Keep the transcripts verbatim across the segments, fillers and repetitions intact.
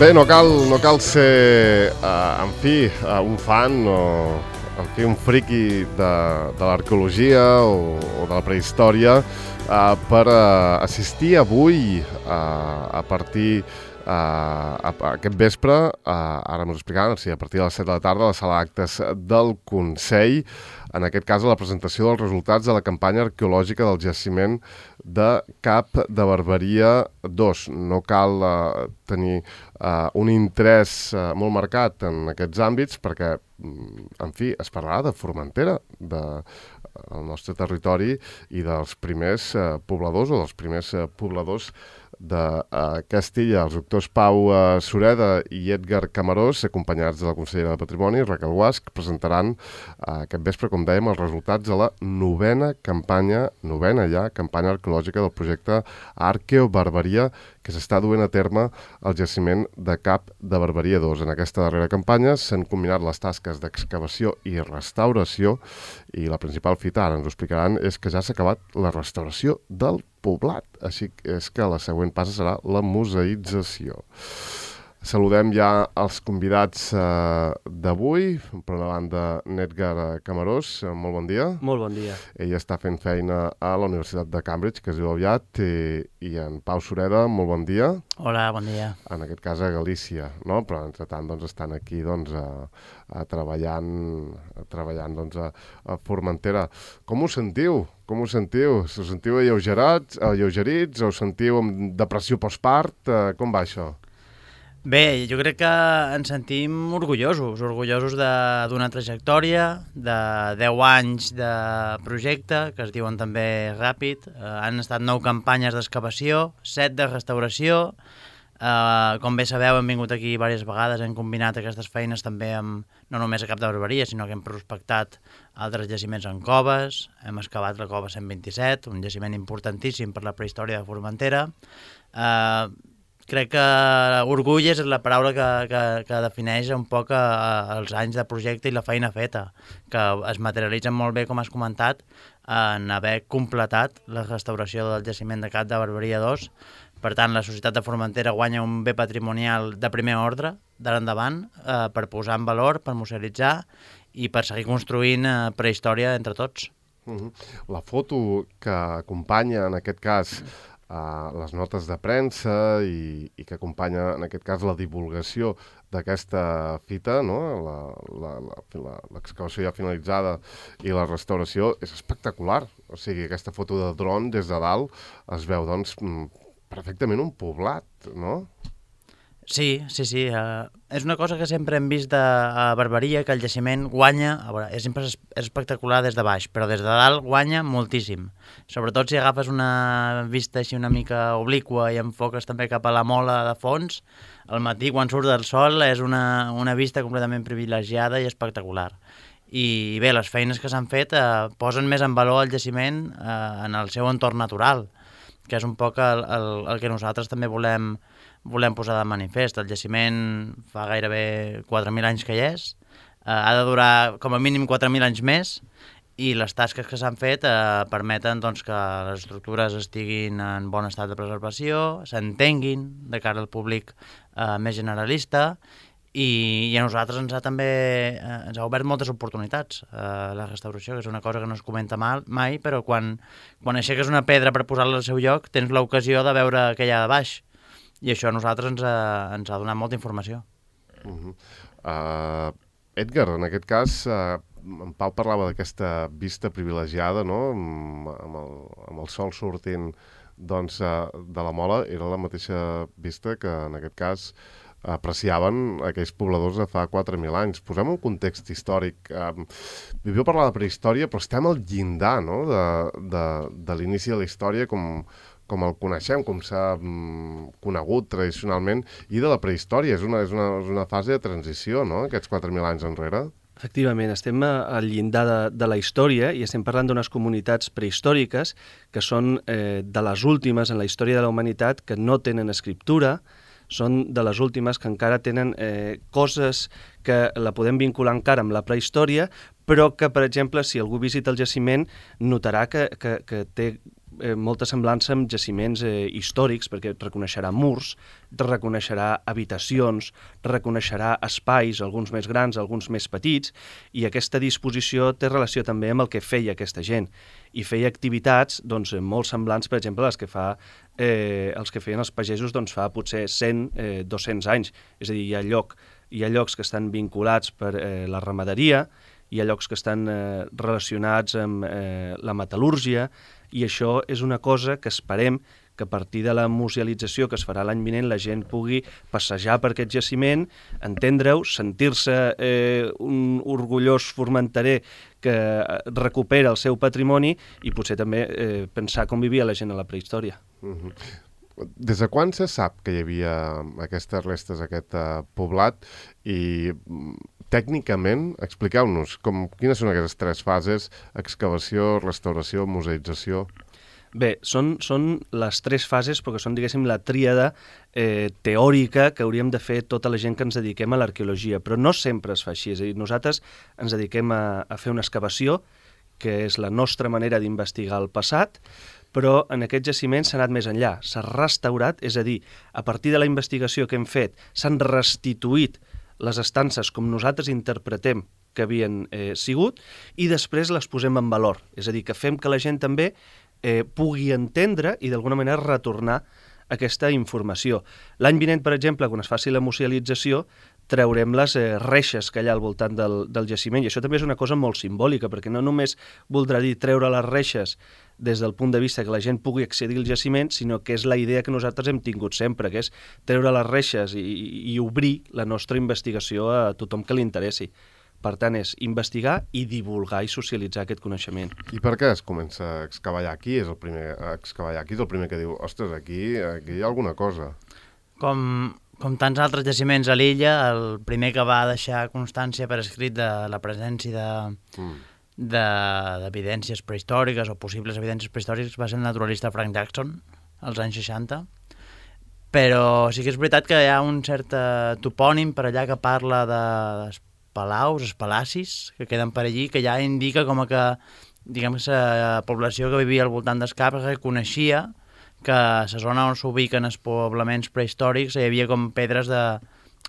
Bé, no cal, no cal ser, uh, en fi, uh, un fan o, en fi, un friqui de, de l'arqueologia o, o de la prehistòria uh, per uh, assistir avui uh, a partir uh, a, a aquest vespre, uh, ara m'ho explicaran, o sigui, a partir de les set de la tarda, a la sala d'actes del Consell, en aquest cas a la presentació dels resultats de la campanya arqueològica del jaciment de Cap de Barberia dos. No cal uh, tenir uh, un interès uh, molt marcat en aquests àmbits perquè, en fi, es parlarà de Formentera, del nostre territori i dels primers uh, pobladors o dels primers uh, pobladors de uh, Castilla, els doctors Pau uh, Sureda i Edgar Camarós, acompanyats de la consellera de Patrimoni, Raquel Guasch, presentaran uh, aquest vespre, com dèiem, els resultats de la novena campanya, novena ja, campanya arqueològica del projecte Arqueobarberia, que s'està duent a terme al jaciment de Cap de Barberia dos. En aquesta darrera campanya s'han combinat les tasques d'excavació i restauració i la principal fita, ara ens ho explicaran, és que ja s'ha acabat la restauració del poblat. Així és que la següent passa serà la museïtzació. Saludem ja els convidats eh, d'avui. Per una banda, Edgar Camarós, molt bon dia. Molt bon dia. Ell està fent feina a la Universitat de Cambridge, que es diu aviat, i, i en Pau Sureda, molt bon dia. Hola, bon dia. En aquest cas a Galícia, no? Però entretant doncs, estan aquí doncs, a, a treballant, a, treballant doncs, a, a Formentera. Com us sentiu? Com us sentiu? Us sentiu alleugerats, alleugerits? Us sentiu amb depressió postpart? Uh, com va això? Bé, jo crec que ens sentim orgullosos, orgullosos d'una trajectòria, de deu anys de projecte, que es diuen també ràpid. Eh, han estat nou campanyes d'excavació, set de restauració. Eh, com bé sabeu, hem vingut aquí diverses vegades, hem combinat aquestes feines també amb, no només a Cap de Barberia, sinó que hem prospectat altres jaciments en coves. Hem excavat la cova cent vint-i-set, un jaciment importantíssim per la prehistòria de Formentera. Eh, Crec que orgull és la paraula que, que, que defineix un poc a, a, els anys de projecte i la feina feta, que es materialitzen molt bé, com has comentat, en haver completat la restauració del jaciment de Cap de Barberia dos. Per tant, la Societat de Formentera guanya un bé patrimonial de primer ordre, d'ara endavant, eh, per posar en valor, per museïtzar i per seguir construint eh, prehistòria entre tots. Uh-huh. La foto que acompanya, en aquest cas, Uh, les notes de premsa i, i que acompanya, en aquest cas, la divulgació d'aquesta fita, no? L'excavació ja finalitzada i la restauració, és espectacular. O sigui, aquesta foto de dron des de dalt es veu, doncs, perfectament un poblat, no? Sí, sí, sí. Uh, és una cosa que sempre hem vist de, a Barberia, que el jaciment guanya, a veure, és, és espectacular des de baix, però des de dalt guanya moltíssim. Sobretot si agafes una vista així una mica obliqua i enfoques també cap a la mola de fons, al matí quan surt del sol és una, una vista completament privilegiada i espectacular. I bé, les feines que s'han fet uh, posen més en valor el jaciment uh, en el seu entorn natural, que és un poc el, el, el que nosaltres també volem volem posar de manifest. El jaciment fa gairebé quatre mil anys que hi és, eh, ha de durar com a mínim quatre mil anys més i les tasques que s'han fet eh, permeten doncs, que les estructures estiguin en bon estat de preservació, s'entenguin de cara al públic eh, més generalista i, i a nosaltres ens ha també eh, ens ha obert moltes oportunitats eh, la restauració, que és una cosa que no es comenta mal, mai, però quan, quan aixeques una pedra per posar-la al seu lloc tens l'ocasió de veure què hi ha de baix. I això a nosaltres ens ha, ens ha donat molta informació. Uh-huh. uh, Edgar, en aquest cas, uh, en Pau parlava d'aquesta vista privilegiada, no? amb, amb, el, amb el sol sortint doncs, uh, de la mola, era la mateixa vista que en aquest cas apreciaven aquells pobladors de fa quatre mil anys. Posem un context històric. Um, Viviu parlar de prehistòria, però estem al llindar, no? de, de, de l'inici de la història com... com el coneixem, com s'ha mm, conegut tradicionalment, i de la prehistòria. És una, és una, és una fase de transició, no?, aquests quatre mil anys enrere. Efectivament, estem al llindar de, de la història i estem parlant d'unes comunitats prehistòriques que són eh, de les últimes en la història de la humanitat que no tenen escriptura, són de les últimes que encara tenen eh, coses que la podem vincular encara amb la prehistòria, però que, per exemple, si algú visita el jaciment, notarà que, que, que té eh, molta semblança amb jaciments eh, històrics, perquè reconeixerà murs, reconeixerà habitacions, reconeixerà espais, alguns més grans, alguns més petits, i aquesta disposició té relació també amb el que feia aquesta gent. I feia activitats doncs, molt semblants, per exemple, les que fa eh, els que feien els pagesos doncs, fa potser cent, eh, dos-cents anys. És a dir, hi ha, lloc, hi ha llocs que estan vinculats per eh, la ramaderia, hi ha llocs que estan eh, relacionats amb eh, la metal·lúrgia, i això és una cosa que esperem que a partir de la musealització que es farà l'any vinent la gent pugui passejar per aquest jaciment, entendre-ho, sentir-se eh, un orgullós formenterer que recupera el seu patrimoni i potser també eh, pensar com vivia la gent a la prehistòria. Mm-hmm. Des de quan se sap que hi havia aquestes restes, aquest uh, poblat? I tècnicament, expliqueu-nos com, quines són aquestes tres fases: excavació, restauració, museïtzació? Bé, són, són les tres fases, perquè són, diguéssim, la tríada eh, teòrica que hauríem de fer tota la gent que ens dediquem a l'arqueologia, però no sempre es fa així. És a dir, nosaltres ens dediquem a, a fer una excavació, que és la nostra manera d'investigar el passat, però en aquest jaciment s'ha anat més enllà, s'ha restaurat, és a dir, a partir de la investigació que hem fet, s'han restituït les estances com nosaltres interpretem que havien eh, sigut, i després les posem en valor, és a dir, que fem que la gent també eh, pugui entendre i d'alguna manera retornar aquesta informació. L'any vinent, per exemple, quan es faci la musealització, traurem les eh, reixes que hi ha al voltant del, del jaciment, i això també és una cosa molt simbòlica, perquè no només voldrà dir treure les reixes des del punt de vista que la gent pugui accedir al jaciment, sinó que és la idea que nosaltres hem tingut sempre, que és treure les reixes i, i obrir la nostra investigació a tothom que li interessi. Per tant, és investigar i divulgar i socialitzar aquest coneixement. I per què es comença a excavar aquí? És el primer, a excavar aquí és el primer que diu, ostres, aquí, aquí hi ha alguna cosa. Com, com tants altres jaciments a l'illa, el primer que va deixar constància per escrit de la presència de... Mm. d'evidències prehistòriques o possibles evidències prehistòriques va ser el naturalista Frank Jackson als anys seixanta, però sí que és veritat que hi ha un cert topònim per allà que parla de, de palaus, els palacis que queden per allí, que ja indica com que, diguem, que la població que vivia al voltant d'Escap reconeixia que a la zona on s'ubiquen els poblaments prehistòrics hi havia com pedres de,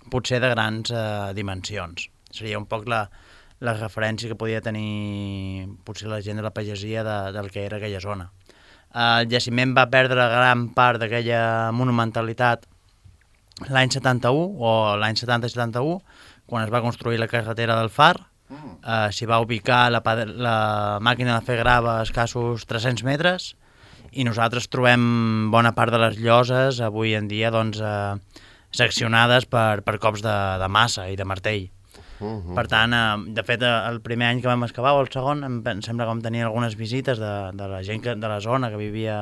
potser de grans eh, dimensions. Seria un poc la la referència que podia tenir potser la gent de la pagesia de, del que era aquella zona. El jaciment va perdre gran part d'aquella monumentalitat l'any setanta-u o l'any setanta setanta-u, quan es va construir la carretera del Far. Mm. Eh, s'hi va ubicar la, la màquina de fer grava a escassos tres-cents metres, i nosaltres trobem bona part de les lloses avui en dia doncs, eh, seccionades per, per cops de, de massa i de martell. Uh-huh. Per tant, eh, de fet, el primer any que vam excavar, o el segon, em, em sembla que vam tenir algunes visites de, de la gent que, de la zona que vivia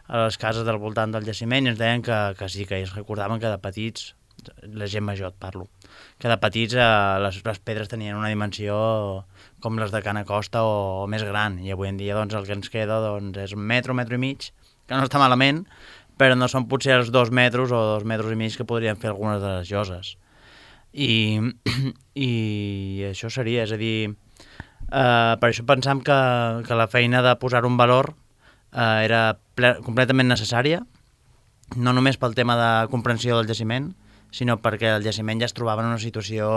a les cases del voltant del jaciment, i ens deien que, que sí, que ells recordaven que de petits, la gent major et parlo, que de petits eh, les, les pedres tenien una dimensió com les de Cana Costa o, o més gran, i avui en dia doncs, el que ens queda doncs, és un metro, metro i mig, que no està malament, però no són potser els dos metres o dos metres i mig que podrien fer algunes de les lloses. I, i això seria, és a dir, eh, per això pensam que, que la feina de posar un valor eh, era ple, completament necessària, no només pel tema de comprensió del jaciment, sinó perquè el jaciment ja es trobava en una situació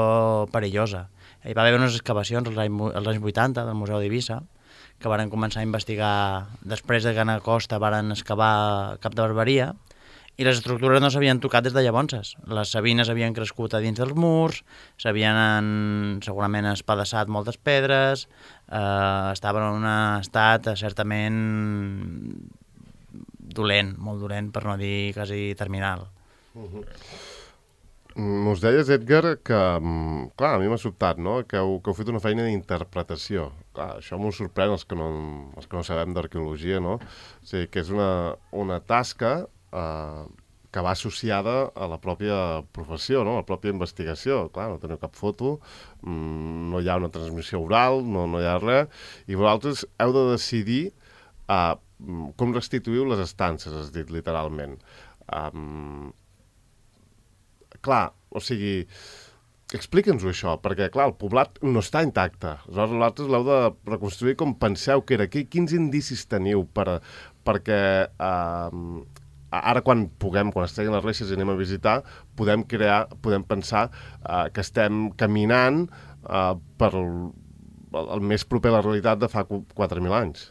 perillosa. Hi va haver unes excavacions als anys, als anys vuitanta del Museu d'Eivissa, que varen començar a investigar, després de Cana Costa varen excavar Cap de Barberia, i les estructures no s'havien tocat des de llavors. Les sabines havien crescut a dins dels murs, s'havien segurament espadassat moltes pedres, eh, estaven en un estat certament dolent, molt dolent, per no dir quasi terminal. Uh-huh. Mos deies, Edgar, que, clar, a mi m'ha sobtat, no?, que heu, que heu fet una feina d'interpretació. Clar, això m'ho sorprèn els que no, els que no sabem d'arqueologia, no? O sigui, que és una, una tasca Uh, que va associada a la pròpia professió, no? A la pròpia investigació. Clar, no teniu cap foto, mm, no hi ha una transmissió oral, no, no hi ha res, i vosaltres heu de decidir uh, com restituïu les estances, has dit literalment. Um, clar, o sigui, Explica'ns-ho això, perquè, clar, el poblat no està intacte. Aleshores, vosaltres l'heu de reconstruir com penseu que era. Quins indicis teniu per, perquè eh, ara quan puguem, quan es treguin les reixes i anem a visitar, podem crear, podem pensar eh, que estem caminant eh, per el, el més proper a la realitat de fa quatre mil anys.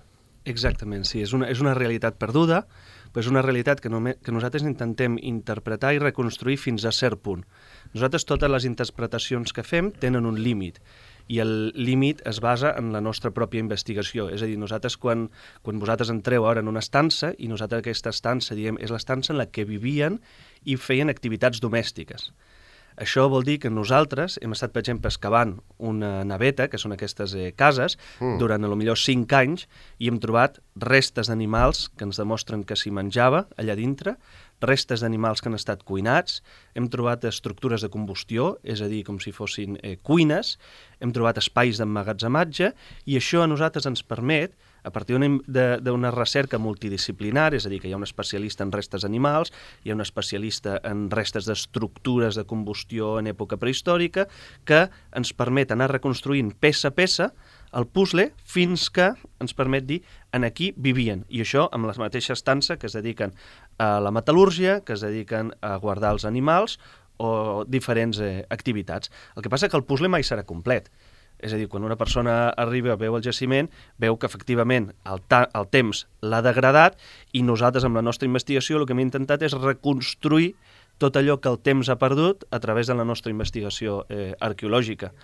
Exactament, sí. És una, és una realitat perduda, però és una realitat que, només, que nosaltres intentem interpretar i reconstruir fins a cert punt. Nosaltres totes les interpretacions que fem tenen un límit, i el límit es basa en la nostra pròpia investigació. És a dir, nosaltres quan, quan vosaltres entreu ara en una estança, i nosaltres aquesta estança, diguem, és l'estança en la que vivien i feien activitats domèstiques. Això vol dir que nosaltres hem estat, per exemple, excavant una naveta, que són aquestes eh, cases, mm. durant a lo millor cinc anys, i hem trobat restes d'animals que ens demostren que s'hi menjava allà dintre, restes d'animals que han estat cuinats, hem trobat estructures de combustió, és a dir, com si fossin eh, cuines, hem trobat espais d'emmagatzematge, i això a nosaltres ens permet, a partir d'una recerca multidisciplinar, és a dir, que hi ha un especialista en restes animals, hi ha un especialista en restes d'estructures de combustió en època prehistòrica, que ens permet anar reconstruint peça a peça el puzzle fins que ens permet dir en aquí vivien. I això amb la mateixa estança que es dediquen a la metal·lúrgia, que es dediquen a guardar els animals o diferents eh, activitats. El que passa és que el puzzle mai serà complet. És a dir, quan una persona arriba, veu el jaciment, veu que efectivament el, el temps l'ha degradat, i nosaltres amb la nostra investigació el que hem intentat és reconstruir tot allò que el temps ha perdut a través de la nostra investigació eh, arqueològica.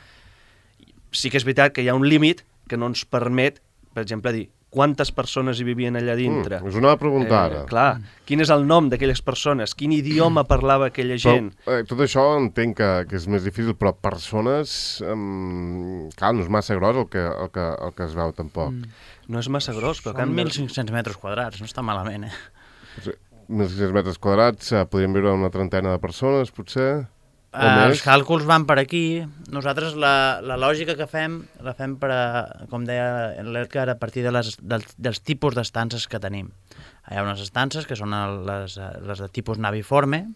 Sí que és veritat que hi ha un límit que no ens permet, per exemple, dir quantes persones hi vivien allà dintre. Mm, us ho anava a preguntar ara. Eh, clar, quin és el nom d'aquelles persones, quin idioma parlava aquella gent. Però, eh, tot això entenc que, que és més difícil, però persones, um, clar, no és massa gros el que, el que, el que es veu tampoc. Mm. No és massa gros, però... Són mil cinc-cents metres quadrats, no està malament, eh? mil cinc-cents metres quadrats, eh, podríem viure una trentena de persones, potser? Uh, els càlculs van per aquí. Nosaltres la, la lògica que fem la fem per, a, com deia l'Edgar, a partir de les, dels, dels tipus d'estances que tenim. Hi ha unes estances que són el, les, les de tipus naviforme,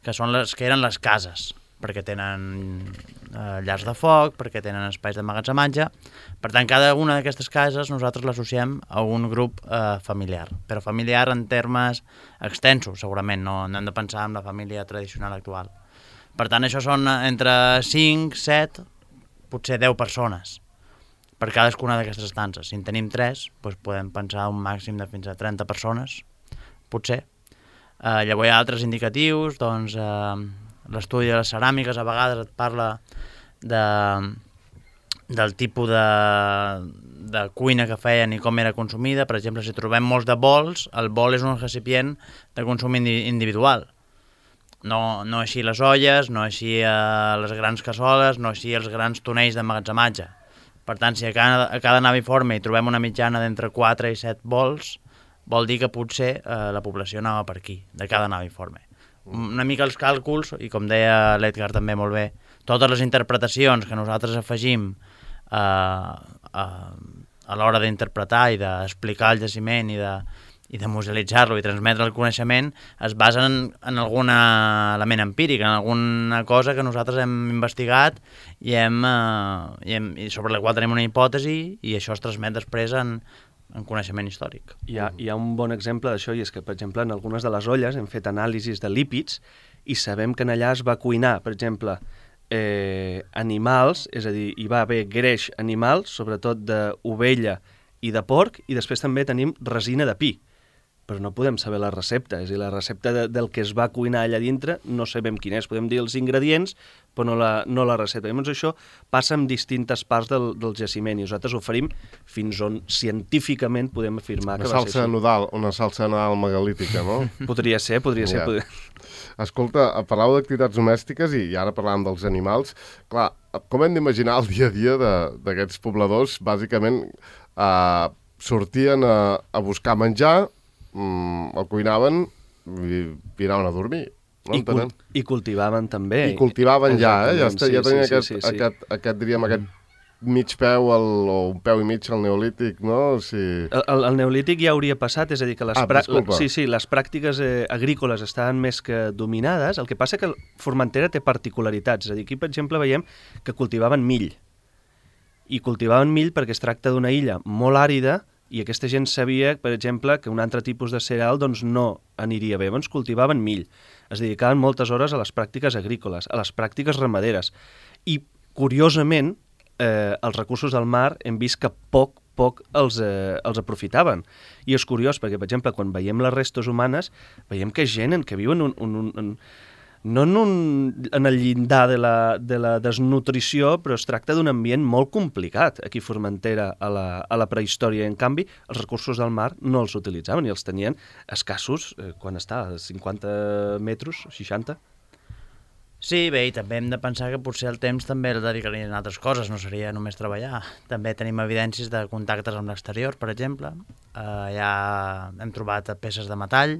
que són les que eren les cases, perquè tenen eh, llars de foc, perquè tenen espais d'emmagatzematge. Per tant, cada una d'aquestes cases nosaltres l'associem a un grup eh, familiar, però familiar en termes extensos, segurament, no, no hem de pensar en la família tradicional actual. Per tant, això són entre cinc, set, potser deu persones per cadascuna d'aquestes estances. Si en tenim tres, doncs podem pensar un màxim de fins a trenta persones, potser. Eh, llavors hi ha altres indicatius, doncs eh, l'estudi de les ceràmiques a vegades et parla de, del tipus de, de cuina que feien i com era consumida. Per exemple, si trobem molts de bols, el bol és un recipient de consum indi- individual. No, no així les olles, no així eh, les grans cassoles, no així els grans tonells d'emmagatzematge. Per tant, si a cada, a cada naviforme hi trobem una mitjana d'entre quatre i set bols, vol dir que potser eh, la població anava per aquí, de cada naviforme. Una mica els càlculs, i com deia l'Edgar també molt bé, totes les interpretacions que nosaltres afegim eh, a, a l'hora d'interpretar i d'explicar el jaciment i de... i de musealitzar-lo i transmetre el coneixement es basen en, en algun element empíric, en alguna cosa que nosaltres hem investigat i, hem, eh, i, hem, i sobre la qual tenim una hipòtesi, i això es transmet després en, en coneixement històric. Hi ha, hi ha un bon exemple d'això, i és que, per exemple, en algunes de les olles hem fet anàlisis de lípids i sabem que en allà es va cuinar, per exemple, eh, animals, és a dir, hi va haver greix animal, sobretot d'ovella i de porc, i després també tenim resina de pi. Però no podem saber la recepta, és a dir, la recepta de, del que es va cuinar allà dintre no sabem quin és, podem dir els ingredients, però no la, no la recepta. Llavors això passa en distintes parts del, del jaciment, i nosaltres oferim fins on científicament podem afirmar una que va ser salsa nodal, una salsa nodal megalítica, no? Podria ser, podria ser. Ja. Podria... Escolta, parlàveu d'activitats domèstiques i, i ara parlàvem dels animals. Clar, com hem d'imaginar el dia a dia d'aquests pobladors? Bàsicament, eh, sortien a, a buscar menjar, Mm, el cuinaven i, i anaven a dormir. No? I, cul I cultivaven també. I cultivaven ja, eh? Ja, està, sí, ja tenien sí, aquest, sí, sí, sí. aquest, aquest, diríem, aquest mig peu al, o un peu i mig al neolític, no? O sigui... el, el, el neolític ja hauria passat, és a dir, que les, ah, pra... sí, sí, sí, les pràctiques eh, agrícoles estaven més que dominades. El que passa que Formentera té particularitats. És a dir, aquí, per exemple, veiem que cultivaven mill. I cultivaven mill perquè es tracta d'una illa molt àrida i aquesta gent sabia, per exemple, que un altre tipus de cereal doncs, no aniria bé. Doncs cultivaven mill. Es dedicaven moltes hores a les pràctiques agrícoles, a les pràctiques ramaderes. I, curiosament, eh, els recursos del mar hem vist que poc, poc els, eh, els aprofitaven. I és curiós perquè, per exemple, quan veiem les restes humanes, veiem que gent en que viuen un, un, un, un, no en, un, en el llindar de la, de la desnutrició, però es tracta d'un ambient molt complicat aquí a Formentera a la, a la prehistòria. En canvi, els recursos del mar no els utilitzaven i els tenien escassos, eh, quan està, a cinquanta metres, seixanta. Sí, bé, i també hem de pensar que potser el temps també el dedicarien a altres coses, no seria només treballar. També tenim evidències de contactes amb l'exterior, per exemple. Uh, ja hem trobat peces de metall,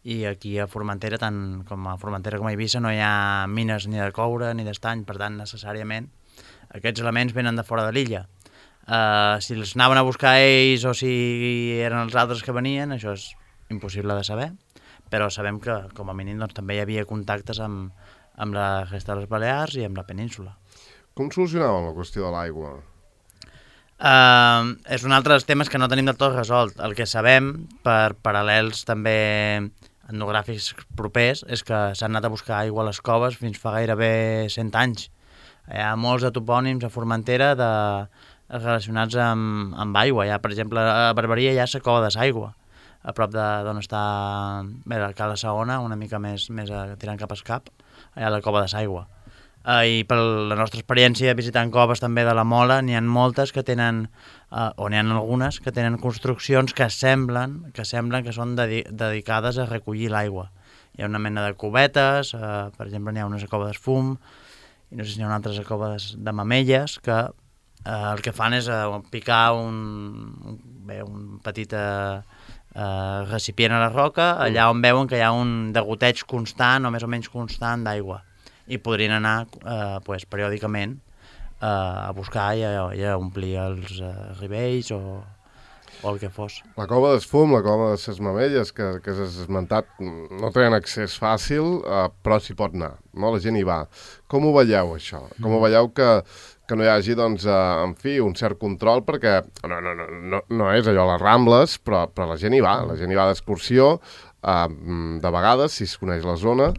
i aquí a Formentera, tant com a Formentera com a Eivissa, no hi ha mines ni de coure ni d'estany, per tant, necessàriament, aquests elements venen de fora de l'illa. Uh, si els anaven a buscar ells o si eren els altres que venien, això és impossible de saber, però sabem que, com a mínim, doncs, també hi havia contactes amb, amb la resta de les Balears i amb la península. Com solucionaven la qüestió de l'aigua? Uh, és un altre dels temes que no tenim del tot resolt. El que sabem, per paral·lels també etnogràfics propers, és que s'han anat a buscar aigua a les coves fins fa gairebé cent anys. Hi ha molts de topònims a Formentera de, relacionats amb, amb aigua. Hi ha, per exemple, a Barberia hi ha la cova de s'aigua, a prop d'on està bé, la Cala Segona, una mica més, més a, tirant cap a Escap, hi ha la cova de s'aigua. Uh, I per la nostra experiència visitant coves també de la Mola, n'hi ha moltes que tenen, uh, o n'hi ha algunes que tenen construccions que semblen que semblen que són dedi dedicades a recollir l'aigua. Hi ha una mena de cubetes, uh, per exemple n'hi ha una cova d'esfum, i no sé si n'hi ha una altra cova de, de mamelles, que uh, el que fan és uh, picar un, un, bé, un petit uh, uh, recipient a la roca, allà on veuen que hi ha un degoteig constant o més o menys constant d'aigua. I podrien anar eh, pues, periòdicament eh, a buscar i a, i a omplir els eh, rivells o, o el que fos. La cova d'Esfum, la cova de ses Mamelles, que, que has esmentat, no tenen accés fàcil, eh, però s'hi pot anar, no? La gent hi va. Com ho veieu, això? Com ho veieu que, que no hi hagi, doncs, eh, en fi, un cert control, perquè no, no, no, no, no és allò les Rambles, però, però la gent hi va, la gent hi va d'excursió, eh, de vegades, si es coneix la zona.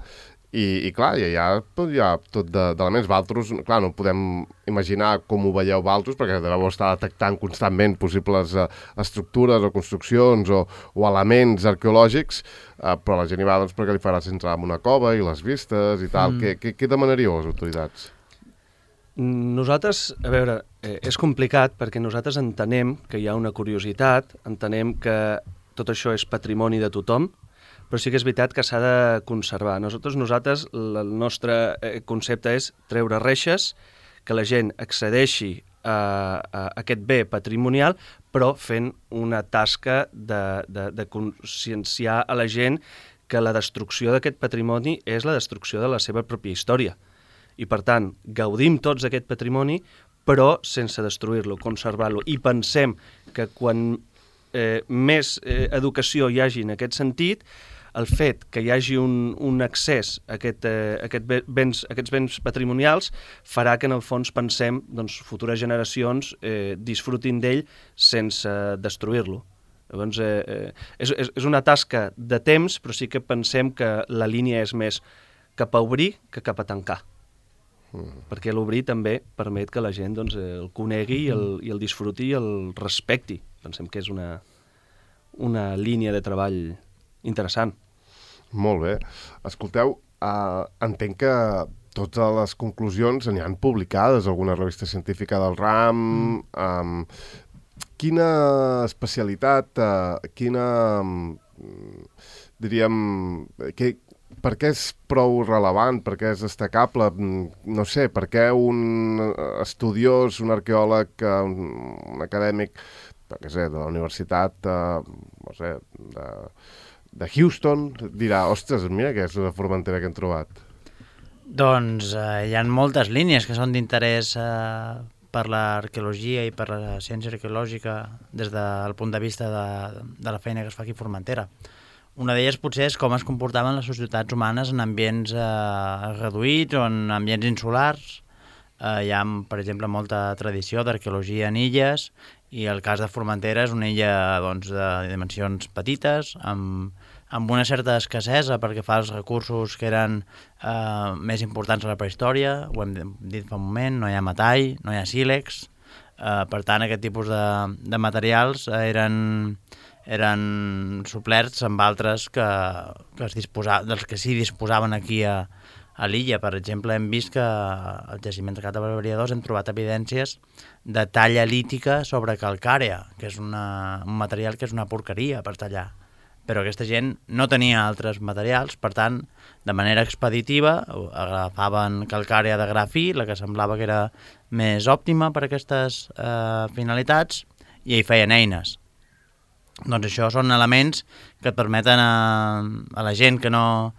I, i clar, hi ha, hi ha tot d'elements. Valtros, clar, no podem imaginar com ho veieu Valtros, perquè deveu estar detectant constantment possibles uh, estructures o construccions o, o elements arqueològics, uh, però la gent hi va doncs, perquè li farà entrar en una cova i les vistes i tal. Mm. Què, què, què demanaríeu a les autoritats? Nosaltres, a veure, eh, és complicat perquè nosaltres entenem que hi ha una curiositat, entenem que tot això és patrimoni de tothom, però sí que és veritat que s'ha de conservar. Nosaltres, nosaltres el nostre concepte és treure reixes, que la gent accedeixi a, a aquest bé patrimonial, però fent una tasca de, de, de conscienciar a la gent que la destrucció d'aquest patrimoni és la destrucció de la seva pròpia història. I, per tant, gaudim tots d'aquest patrimoni, però sense destruir-lo, conservar-lo. I pensem que quan eh, més eh, educació hi hagi en aquest sentit, el fet que hi hagi un, un accés a, aquest, eh, aquest béns, aquests béns patrimonials farà que en el fons pensem doncs, futures generacions eh, disfrutin d'ell sense destruir-lo. Llavors, eh, eh, és, és una tasca de temps, però sí que pensem que la línia és més cap a obrir que cap a tancar. Mm. Perquè l'obrir també permet que la gent doncs, el conegui i el, i el disfruti i el respecti. Pensem que és una, una línia de treball interessant. Molt bé. Escolteu, uh, entenc que totes les conclusions n'hi han publicades a alguna revista científica del ram. Mm. Um, quina especialitat, uh, quina, um, diríem, que, per què és prou relevant, per què és destacable? No sé, per què un estudiós, un arqueòleg, un, un acadèmic, què sé, de la universitat, uh, no sé, de... de Houston, dirà, ostres, mira que és una Formentera que hem trobat. Doncs eh, hi ha moltes línies que són d'interès eh, per l'arqueologia i per la ciència arqueològica des del punt de vista de, de la feina que es fa aquí a Formentera. Una d'elles potser és com es comportaven les societats humanes en ambients eh, reduïts o en ambients insulars. Eh, hi ha, per exemple, molta tradició d'arqueologia en illes i el cas de Formentera és una illa doncs, de dimensions petites, amb, amb una certa escassesa perquè fa els recursos que eren eh, més importants a la prehistòria, ho hem dit fa un moment, no hi ha metall, no hi ha sílex, eh, per tant aquest tipus de, de materials eren... eren suplerts amb altres que, que es disposa, dels que sí disposaven aquí a, a l'illa. Per exemple, hem vist que al jaciment de Cap de Barberia dos hem trobat evidències de talla lítica sobre calcàrea, que és una, un material que és una porqueria per tallar. Però aquesta gent no tenia altres materials, per tant, de manera expeditiva, agafaven calcàrea de gra fi, la que semblava que era més òptima per a aquestes eh, finalitats, i hi feien eines. Doncs això són elements que et permeten a, a la gent que no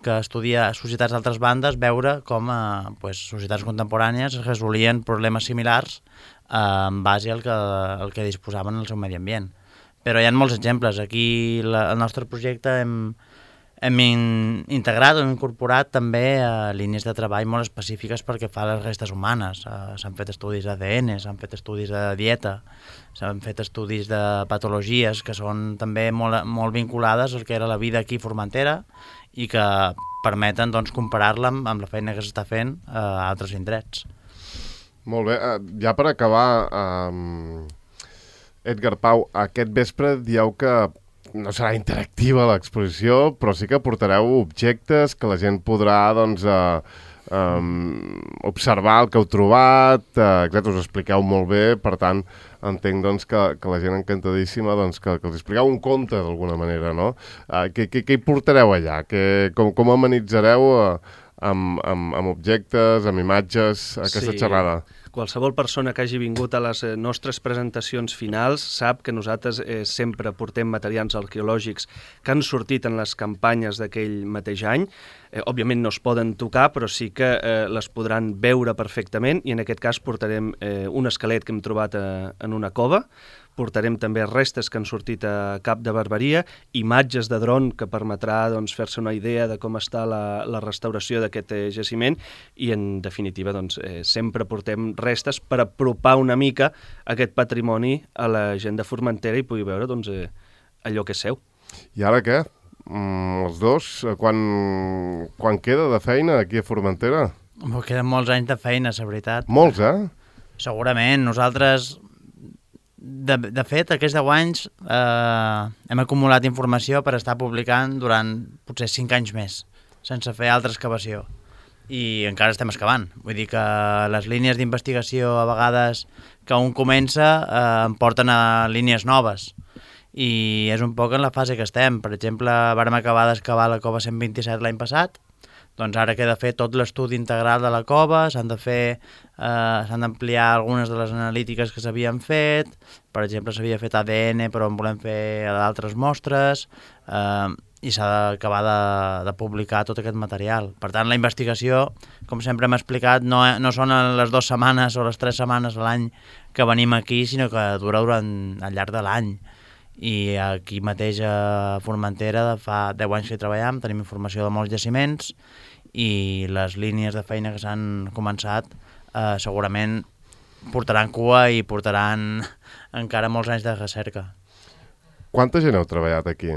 que estudia societats d'altres bandes veure com a pues, societats contemporànies es resolien problemes similars eh, en base al que, al que disposaven en el seu medi ambient. Però hi ha molts exemples. Aquí la, el nostre projecte hem, hem in, integrat o hem incorporat també uh, línies de treball molt específiques perquè fa les restes humanes. Uh, s'han fet estudis d'A D N, s'han fet estudis de dieta, s'han fet estudis de patologies que són també molt, molt vinculades al que era la vida aquí a Formentera i que permeten doncs, comparar-la amb, amb la feina que s'està fent uh, a altres indrets. Molt bé. Uh, ja per acabar, um, Edgar Pau, aquest vespre dieu que no serà interactiva l'exposició, però sí que portareu objectes que la gent podrà doncs, eh, um, observar el que heu trobat, eh, exacte, us expliqueu molt bé, per tant, entenc doncs, que, que la gent encantadíssima doncs, que, que els expliqueu un conte d'alguna manera, no? Eh, què, què, què hi portareu allà? Que, com, com amenitzareu eh, amb, amb, amb objectes, amb imatges, aquesta sí. xerrada? Qualsevol persona que hagi vingut a les nostres presentacions finals sap que nosaltres eh, sempre portem materials arqueològics que han sortit en les campanyes d'aquell mateix any. Eh, òbviament no es poden tocar, però sí que eh, les podran veure perfectament i en aquest cas portarem eh, un esquelet que hem trobat eh, en una cova, portarem també restes que han sortit a Cap de Barberia, imatges de dron que permetrà doncs, fer-se una idea de com està la, la restauració d'aquest eh, jaciment i, en definitiva, doncs, eh, sempre portem restes per apropar una mica aquest patrimoni a la gent de Formentera i pugui veure doncs, eh, allò que és seu. I ara què? Mm, els dos, quan, quan queda de feina aquí a Formentera? Oh, queden molts anys de feina, la veritat. Molts, eh? Segurament. Nosaltres... De, de fet, aquests deu anys eh, hem acumulat informació per estar publicant durant potser cinc anys més, sense fer altra excavació. I encara estem excavant. Vull dir que les línies d'investigació, a vegades que un comença, eh, em porten a línies noves. I és un poc en la fase que estem. Per exemple, vàrem acabar d'excavar la cova cent vint-i-set l'any passat, doncs ara queda fer tot l'estudi integral de la cova, s'han de fer, eh, s'han d'ampliar algunes de les analítiques que s'havien fet, per exemple s'havia fet A D N però en volem fer d'altres mostres, eh, i s'ha d'acabar de, de publicar tot aquest material. Per tant, la investigació, com sempre hem explicat, no, no són les dues setmanes o les tres setmanes a l'any que venim aquí, sinó que dura durant al llarg de l'any. I aquí mateix a Formentera fa deu anys que hi treballem, tenim informació de molts jaciments i les línies de feina que s'han començat eh, segurament portaran cua i portaran encara molts anys de recerca. Quanta gent heu treballat aquí?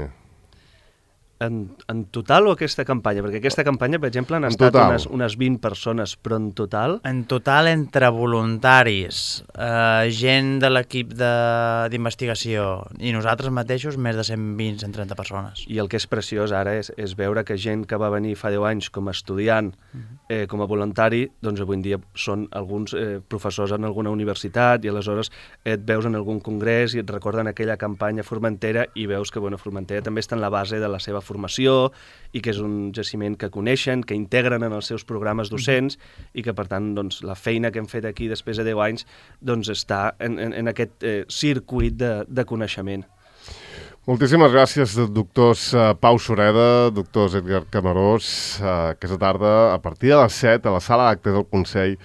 En, en total o aquesta campanya? Perquè aquesta campanya, per exemple, han en estat total. unes, unes vint persones, però en total... En total, entre voluntaris, eh, gent de l'equip d'investigació i nosaltres mateixos, més de cent vint a cent trenta persones. I el que és preciós ara és, és veure que gent que va venir fa deu anys com a estudiant, eh, com a voluntari, doncs avui en dia són alguns eh, professors en alguna universitat i aleshores et veus en algun congrés i et recorden aquella campanya Formentera i veus que bueno, Formentera també està en la base de la seva formació i que és un jaciment que coneixen, que integren en els seus programes docents i que, per tant, doncs, la feina que hem fet aquí després de deu anys doncs, està en, en, en aquest eh, circuit de, de coneixement. Moltíssimes gràcies, doctors Pau Sureda, doctors Edgar Camarós. Aquesta tarda, a partir de les set, a la sala d'actes del Consell,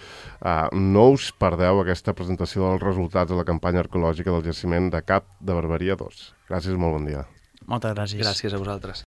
no us perdeu aquesta presentació dels resultats de la campanya arqueològica del jaciment de Cap de Barberia dos. Gràcies, molt bon dia. Moltes gràcies. Gràcies a vosaltres.